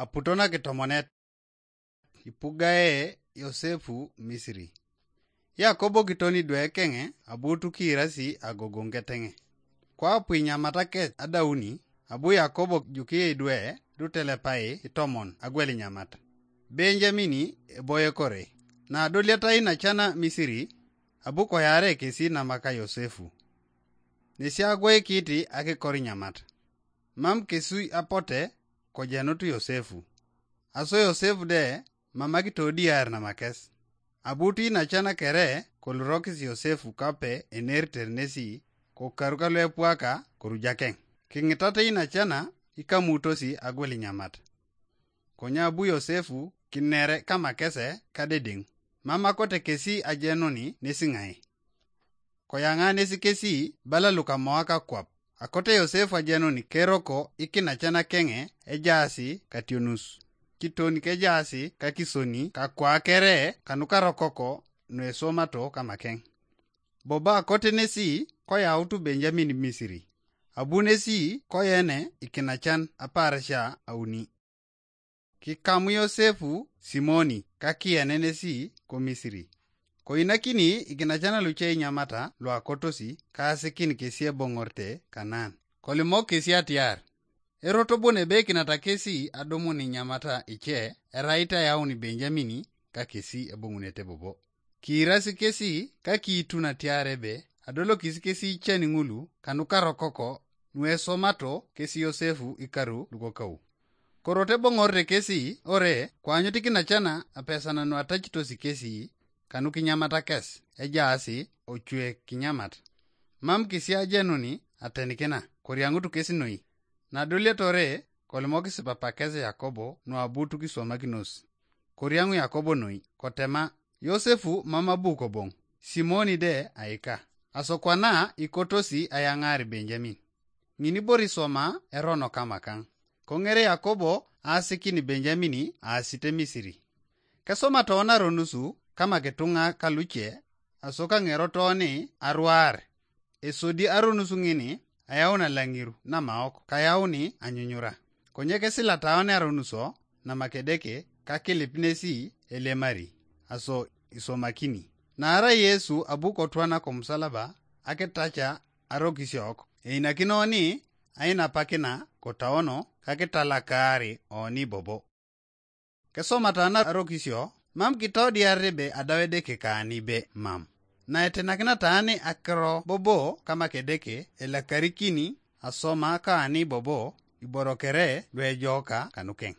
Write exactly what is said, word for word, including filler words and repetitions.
Aputo na kitomonet, ipugae Yosefu Misiri. Yakobo kitoni dwe keŋe abu tukiirasi agogoŋ keteŋe. Kwapu inyamat akec adauni, abu Yakobo jukiye idwe dutelepai itomon agwel inyamat. Benjamini eboye kore. Na adoliata inacana Misiri, abu koyaare kesi namaka Yosefu. Nesi agwoikiti akikor inyamat. Mam kesi apote kojenut Yosefu. Aso Yosefu de mam akitodiar namakes. Abu tuinacana kere kolurokis Yosefu kape eneritere nesi kokaru kaluepuaka korujakeŋ. Kiŋitate inacana ikamutosi agwel inyamat. Konye abu Yosefu kinere kamakese kadedeŋ. Mam akote kesi ajenuni nesi ŋai. Koyaŋa nesi kesi bala lukamoak akwap. Akote Yosefu ajenuni keroko ikinacana keŋe ejaasi kationus. Kiton kejaasi kakisoni kakwakere kanukarokoko nuesomato kamakeŋ. Bobo akote nesi koyautu Benjamin Misiri. Abu nesi koyene ikinacan aparasia auni. Kikamu Yosefu Simoni kakiyenenesi ko Misiri. Koinakini ikinacan luce inyamata luakotosi kaasikin kesi eboŋorte Kanaan. Kolimok kesi atiar, erot bon ebe ikinata kesi adumun inyamata ice erait ayaun Benjamini ka kesi eboŋunete bobo. Kiirasi kesi kakiitun atiar ebe adolokis kesi icen ŋulu kanukarokoko nuesomato kesi Yosefu ikaru lukokau. Korot eboŋorete kesi ore koanyut ikinacana apesanan nuatacitosi kesi kanukinyamatakes ejaasi ocwe kinyamat. Mam kesi ajenuni atenikina koriaŋutu kesi noi. Nadoliatore kolimokis papakes Yakobo nuabu tukiswamakinos. Koriaŋu Yakobo noi kotema, Yosefu mam abu koboŋ, Simoni de aika. Asokwana ikotosi ayaŋaar Benjamin. Ŋini bor iswama erono kamakaŋ. Koŋere Yakobo aasikin Benjamini aasite Misiri. Kesoma toona aronusu kamak ituŋa kaluce, aso kaŋero tooni aruaar. Esodi aronusu ŋini ayaun alaŋiru namaok kayauni anyunyura. Konye kesilataoni aronuso namak Edeke kakilip nesi elemari, aso iswomakini. Naarai Yesu abu kotwana komusalaba akitaca arokisiok, einakin oni ainapakina kotaono kakitalakaari oni bobo. Kesomata na arokisio mam kitodiar ebe adau Edeke kaani be mam. Naetenakinata ani akiro bobo kamak Edeke elakarikini asoma kaani bobo iboro kere luejoka kanukeŋ.